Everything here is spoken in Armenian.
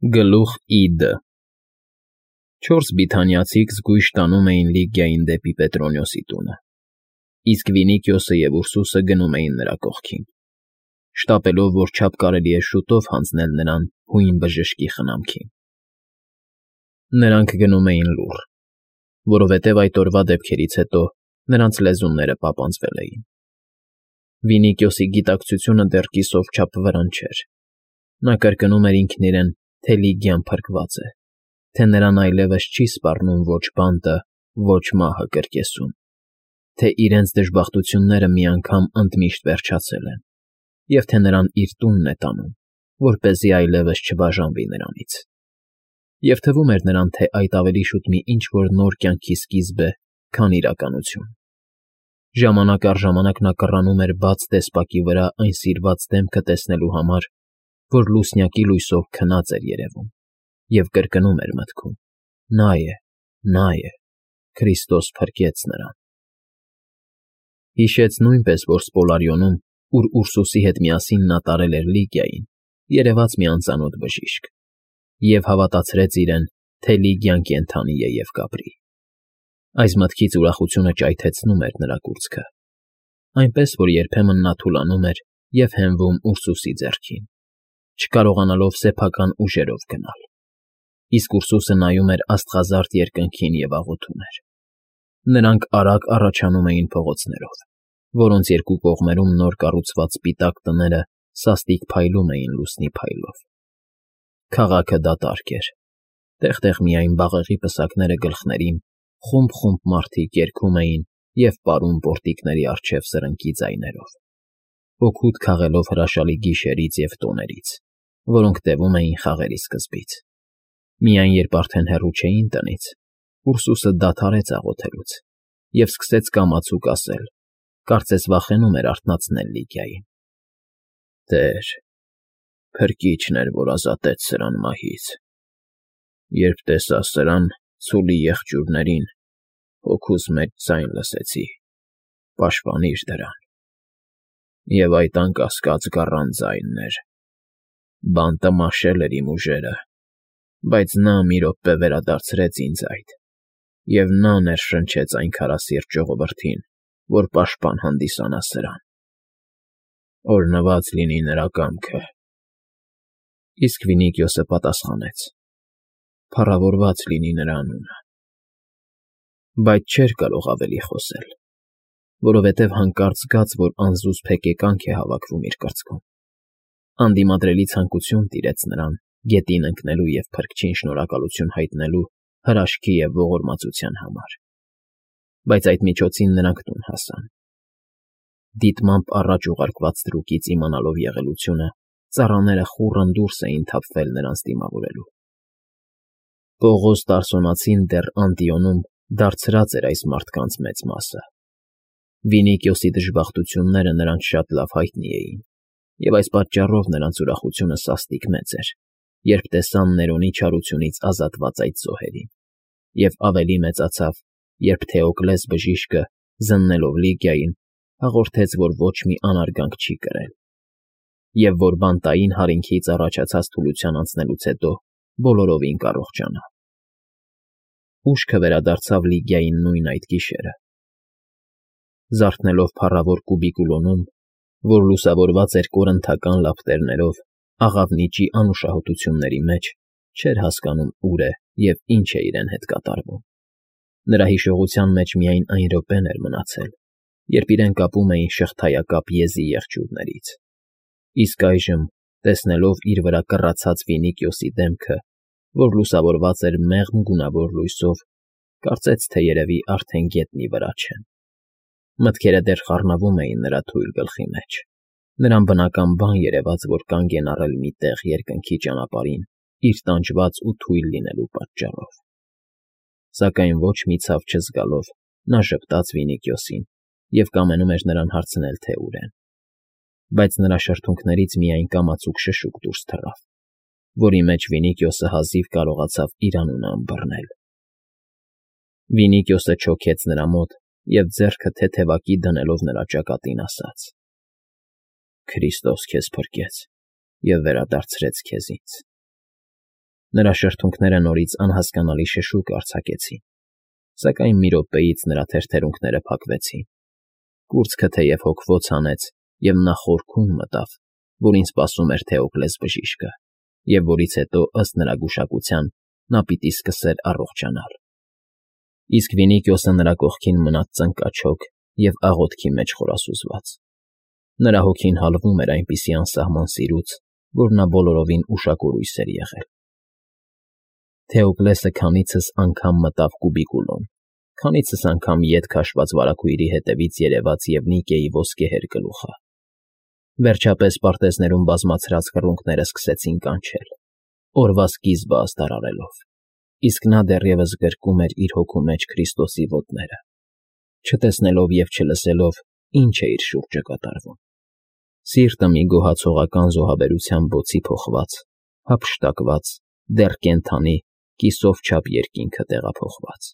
Գլուխ Իդ Չորս բիթանիացիք զգույշ տանում էին Լիգիային դեպի Պետրոնիոսի տունը, իսկ Վինիքիոսը և Ուրսուսը գնում էին նրա կողքին, շտապելով, որ չափ կարելի է շուտով հանձնել նրան հույն բժշկի խնամքին։ Նրանք գնում էին լուռ, որովհետև այդ օրվա դեպքերից հետո նրանց լեզուները պապանձվել էին։ Վինիքիոսի գիտակցությունը դեռ կիսով չափ վրան չէր։ Նա կրկնում էր ինքն իրեն, թե Լիգիան փրկված է, թե նրան այլևս չի սպառնում ոչ բանտը, ոչ մահը կրկեսում, թե իրենց դժբախտությունները մի անգամ ընդմիշտ վերջացել են, և թե նրան իր տունն է տանում, որպեսզի այլևս չբաժանվի նրանից։ Եվ թվում էր նրան, թե այդ ավելի շուտ մի ինչ֊որ նոր կյանքի սկիզբ է, քան իրականություն։ Ժամանակ առ ժամանակ նա կռանում էր բաց տեսպակի վրա այն սիրված դեմքը տեսնելու համար, որ լուսնյակի լույսով քնած էր երևում, և կրկնում էր մտքում. նա է, Քրիստոս փրկեց նրան։ Հիշեց նույնպես, որ Սպոլարիոնում, ուր Ուրսուսի հետ միասին նա տարել էր Լիգիային, երևաց մի անծանոթ բժիշկ, և հավատացրեց իրեն, թե Լիգիան կենդանի է և կապրի։ Այս մտքից ուրախությունը ճայթեցնում էր նրա կուրծքը, այնպես որ երբեմն նա թուլանում էր և հենվում Ուրսուսի ձեռքին, չկարողանալով սեփական ուժերով գնալ, իսկ Ուրսուսը նայում էր աստղազարդ երկնքին և աղոթում էր։ Նրանք արագ առաջանում էին փողոցներով, որոնց երկու կողմերում նոր կառուցված սպիտակ տները սաստիկ փայլում էին լուսնի փայլով։ Քաղաքը դատարկ էր, տեղ֊տեղ միայն բաղեղի պսակները գլխներին, խումբ մարդիկ երգում էին և պարում պորտիկների առջև սրնկի ձայներով, օգուտ քաղելով հրաշալի գիշերից և տոներից, որոնք տևում էին խաղերի սկզբից։ Միայն երբ արդեն հեռու չէին տնից, Ուրսուսը դադարեց աղոթելուց և սկսեց կամացուկ ասել, կարծես վախենում էր արթնացնել Լիգիային. «Տեր, Փրկիչն էր, որ ազատեց սրան մահից։ Երբ տեսա սրան, ցուլի եղջյուրներին, հոգուս մեջ ձայն լսեցի. «Պաշտպանիր դրան»։ Եվ այդ անկասկած գառան ձայնն էր։ Բանտը մաշել էր իմ ուժերը, բայց նա մի րոպե վերադարձրեց ինձ այդ, և նա ներշնչեց այն քարասիրտ ժողովրդին, որ պաշտպան հանդիսանա սրան։ Օրհնված լինի նրա կամքը»։ Իսկ Վինիքիոսը պատասխանեց. «Փառավորված լինի նրա անունը»։ Բայց չէր կարող ավելի խոսել, որովհետև հանկարծ զգաց, որ անզուսպ հեկեկանք է հավաքվում իր կրծքում։ Անդիմադրելի ցանկություն տիրեց նրան գետին ընկնելու և Փրկչին շնորհակալություն հայտնելու հրաշքի և ողորմածության համար։ Բայց այդ միջոցին նրանք տուն հասան։ Դիտմամբ առաջ ուղարկված թրուկից իմանալով եղելությունը, ծառաները խուռն դուրս էին թափվել նրանց դիմավորելու։ Պողոս Տարսոնացին դեռ Անտիոնում դարձրած էր այս մարդկանց մեծ մասը։ Վինիքիոսի դժբախտությունները նրանց շատ լավ հայտնի էին, և այս պատճառով նրանց ուրախությունը սաստիկ մեծ էր, երբ տեսան Ներոնի չարությունից ազատված այդ զոհերին, և ավելի մեծացավ, երբ Թեոկլես բժիշկը, զննելով Լիգիային, հաղորդեց, որ ոչ մի անարգանք չի կրել, և որ բանտային հարինքից առաջացած թուլության անցնելուց հետո բոլորովին կարողջանա։ Ուշքը վերադարձավ Լիգիային նույն այդ գիշերը։ Զարթնելով փառավոր Կուբիկուլոնում, որ լուսավորված էր կորնթական լապտերներով, աղավնիճի անուշահոտությունների մեջ, չէր հասկանում ուր է և ինչ է իրեն հետ կատարվում։ Նրա հիշողության մեջ միայն այն րոպեն էր մնացել, երբ իրեն կապում էին շղթայակապ եզի եղջյուրներից։ Իսկ այժմ, տեսնելով իր վրա կռացած Վինիքիոսի դեմքը, որ լուսավորված էր մեղմ գունավոր լույսով, կարծեց, թե երևի արդեն գետնի վրա չեն։ Մտքերը դեռ խառնվում էին նրա թույլ գլխի մեջ։ Նրան բնական բան երևաց, որ կանգ են առել մի տեղ երկնքի ճանապարհին իր տանջված ու թույլ լինելու պատճառով։ Սակայն ոչ մի ցավ չզգալով, նա ժպտաց Վինիքիոսին և կամենում էր նրան հարցնել, թե ուր են։ Բայց նրա շրթունքներից միայն կամացուկ շշուկ դուրս թռավ, որի մեջ Վինիքիոսը հազիվ կարողացավ իր անունը ըմբռնել։ Վինիքիոսը չոքեց նրա մոտ և ձեռքը թեթևակի դնելով նրա ճակատին ասաց. «Քրիստոս քեզ փրկեց և վերադարձրեց քեզ ինձ»։ Նրա շրթունքները նորից անհասկանալի շշուկ արձակեցին, սակայն մի րոպեից նրա թերթերունքները փակվեցին, կուրծքը թեև հոգվոց հանեց, և նա խորքում մտավ, որին սպասում էր Թեոկլես բժիշկը, և որից հետո, ըստ նրա գուշակության, նա պիտի սկսեր առողջանալ։ Իսկ Վինիկիոսը նրա կողքին մնաց ծնկաչոք և աղոթքի մեջ խորասուզված։ Նրա հոգին հալվում էր այնպիսի անսահման սիրուց, որ նա բոլորովին ուշակորույս էր եղել։ Թեոկլեսը քանիցս անգամ մտավ կուբիկուլոն, քանիցս անգամ ետ քաշված վարագույրի հետևից երևաց և Նիկեի ոսկեհեր գլուխը։ Վերջապես պարտեզներում բազմացրած կռունկները սկսեցին կանչել, օրվա սկիզբը աստարարելով, իսկ նա դեռևս գրկում էր իր հոգու մեջ Քրիստոսի ոտները, չտեսնելով և չլսելով, ինչ է իր շուրջը կատարվում։ Սիրտը մի գոհացողական զոհաբերության բոցի փոխված, հափշտակված, դեռ կենդանի, կիսով չափ երկինքը տեղափոխված։